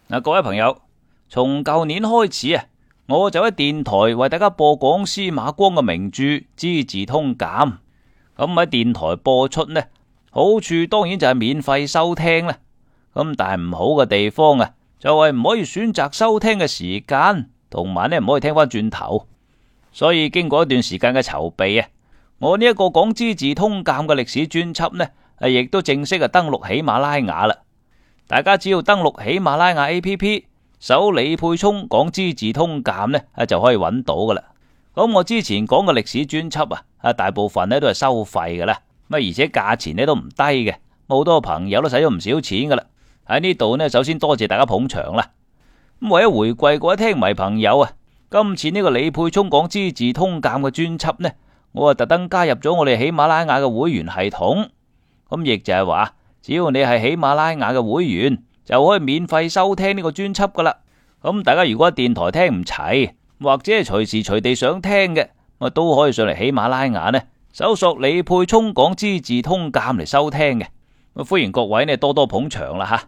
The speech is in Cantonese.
各位朋友，從舊年開始啊，我就喺電台為大家播講司馬光嘅名著《資治通鑑》。咁喺電台播出呢，好處當然就係免費收聽啦。咁但係唔好嘅地方啊，就係唔可以選擇收聽嘅時間，同埋呢唔可以聽翻轉頭。所以經過一段時間嘅籌備啊，我呢一個講《資治通鑑》嘅歷史專輯呢，亦都正式登錄喜馬拉雅啦。大家只要登錄喜馬拉雅 APP， 搜李沛聰講《資治通鑑》呢，就可以揾到噶啦。咁我之前講嘅歷史專輯啊，大部分呢都係收費噶啦，而且價錢呢都唔低嘅，好多朋友都使咗唔少錢噶啦。喺呢度呢，首先多謝大家捧場啦。咁為咗回饋各位聽迷朋友啊，今次呢個李沛聰講《資治通鑑》嘅專輯呢，我特登加入咗我哋喜馬拉雅嘅會員系統。咁亦就係話，只要你係喜馬拉雅嘅會員，就可以免費收聽呢個專輯噶啦。咁大家如果電台聽唔齊，或者係隨時隨地想聽嘅，都可以上嚟喜馬拉雅呢，搜索李沛聰講《資治通鑑》嚟收聽嘅。歡迎各位呢多多捧場啦吓。